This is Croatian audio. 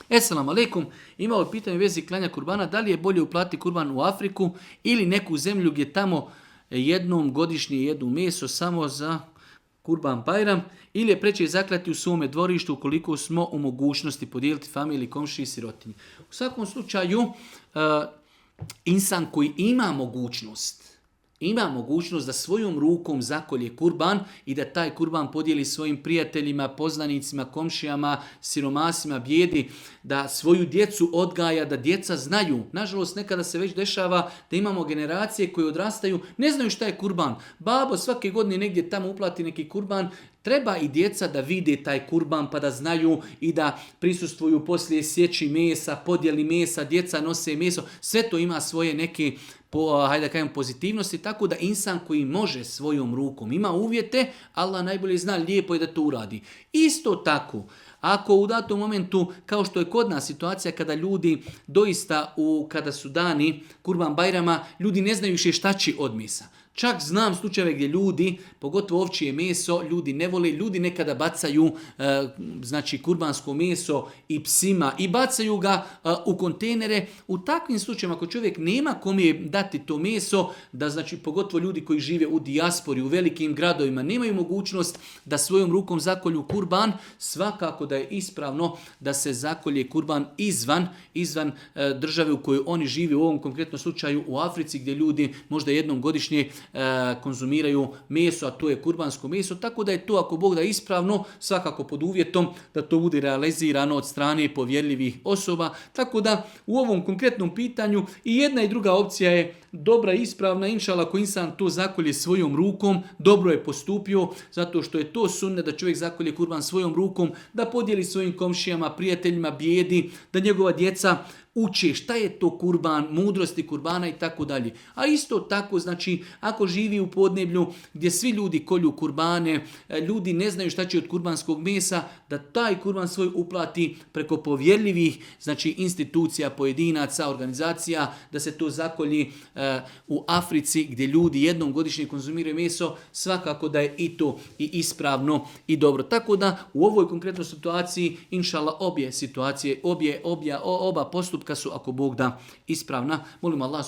Esselamu alaikum, imao je pitanje u vezi klanja kurbana, da li je bolje uplatiti kurban u Afriku ili neku zemlju gdje tamo jednom godišnje jedu meso samo za Kurban Bajram, ili je preče zaklati u svome dvorištu ukoliko smo u mogućnosti podijeliti familiji, komšiji i sirotinji. U svakom slučaju, insan koji ima mogućnost da svojom rukom zakolje kurban i da taj kurban podijeli svojim prijateljima, poznanicima, komšijama, siromasima, bijedi, da svoju djecu odgaja, da djeca znaju. Nažalost, nekada se već dešava da imamo generacije koje odrastaju, ne znaju šta je kurban. Babo svake godine negdje tamo uplati neki kurban. Treba i djeca da vide taj kurban pa da znaju i da prisustvuju poslije sjeći mesa, podjeli mesa, djeca nose meso. Sve to ima svoje neke pozitivnosti, tako da insan koji može svojom rukom, ima uvjete, Allah najbolje zna, lijepo je da to uradi. Isto tako, ako u datom momentu, kao što je kod nas situacija kada ljudi doista, kada su dani Kurban Bajrama, ljudi ne znaju više šta će od mesa. Čak znam slučajeve gdje ljudi, pogotovo ovčje meso, ljudi ne vole, ljudi nekada bacaju kurbansko meso i psima i bacaju ga u kontejnere. U takvim slučajevima ako čovjek nema kome dati to meso, da pogotovo ljudi koji žive u dijaspori, u velikim gradovima, nemaju mogućnost da svojom rukom zakolju kurban, svakako da je ispravno da se zakolje kurban izvan države u kojoj oni žive, u ovom konkretnom slučaju u Africi gdje ljudi možda jednom godišnje konzumiraju meso, a to je kurbansko meso, tako da je to, ako Bog da, ispravno, svakako pod uvjetom da to bude realizirano od strane povjerljivih osoba. Tako da u ovom konkretnom pitanju i jedna i druga opcija je dobra i ispravna. Inšallah, ako insan to zakolje svojom rukom, dobro je postupio, zato što je to sunnet da čovjek zakolje kurban svojom rukom, da podijeli svojim komšijama, prijateljima, bijedi, da njegova djeca uče šta je to kurban, mudrosti kurbana i tako dalje. A isto tako, ako živi u podneblju gdje svi ljudi kolju kurbane, ljudi ne znaju šta će od kurbanskog mesa, da taj kurban svoj uplati preko povjerljivih, institucija, pojedinaca, organizacija, da se to zakolji u Africi gdje ljudi jednom godišnje konzumiraju meso, svakako da je i to i ispravno i dobro. Tako da u ovoj konkretnoj situaciji, inšallah, oba postupka su, ako Bog da, ispravna. Molim Allah